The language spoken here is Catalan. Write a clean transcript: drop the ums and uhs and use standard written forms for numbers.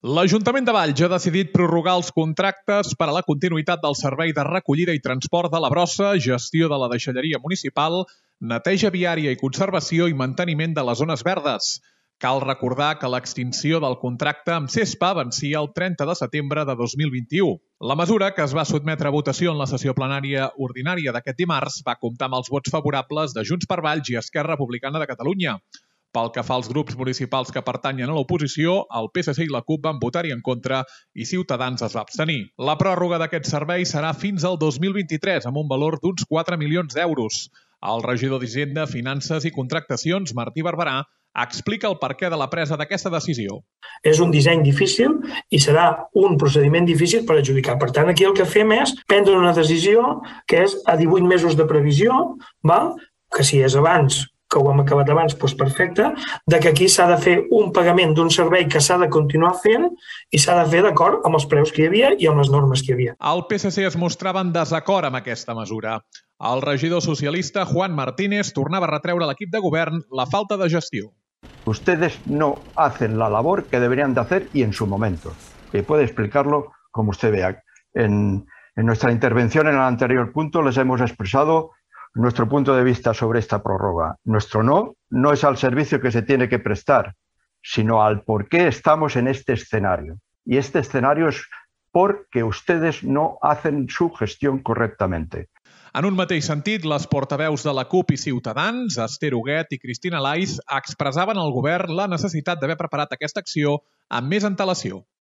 L'Ajuntament de Valls ha decidit prorrogar els contractes per a la continuïtat del servei de recollida i transport de la brossa, gestió de la deixalleria municipal, neteja viària i conservació i manteniment de les zones verdes. Cal recordar que l'extinció del contracte amb CESPA vencia el 30 de setembre de 2021. La mesura, que es va sotmetre a votació en la sessió plenària ordinària d'aquest dimarts, va comptar amb els vots favorables de Junts per Valls i Esquerra Republicana de Catalunya. Pel que fa als grups municipals que pertanyen a l'oposició, el PSC i la CUP van votar-hi en contra i Ciutadans es va abstenir. La pròrroga d'aquest servei serà fins al 2023, amb un valor d'uns 4 milions d'euros. El regidor d'Hisenda, Finances i Contractacions, Martí Barberà, explica el perquè de la presa d'aquesta decisió. És un disseny difícil i serà un procediment difícil per adjudicar. Per tant, aquí el que fem és prendre una decisió que és a 18 mesos de previsió, que si és abans, que ho hem acabat abans, doncs perfecte, que aquí s'ha de fer un pagament d'un servei que s'ha de continuar fent i s'ha de fer d'acord amb els preus que hi havia i amb les normes que hi havia. El PSC es mostrava en desacord amb aquesta mesura. El regidor socialista Juan Martínez tornava a retreure a l'equip de govern la falta de gestió. Ustedes no hacen la labor que deberían de hacer y en su momento. Y puede explicarlo como usted vea. En nuestra intervención en el anterior punto les hemos expresado nuestro punto de vista sobre esta prórroga. Nuestro no es al servicio que se tiene que prestar, sino al por qué estamos en este escenario. Y este escenario es porque ustedes no hacen su gestión correctamente. En un mateix sentit, les portaveus de la CUP i Ciutadans, Esther Huguet i Cristina Laiz, expressaven al govern la necessitat d'haver preparat aquesta acció amb més antelació.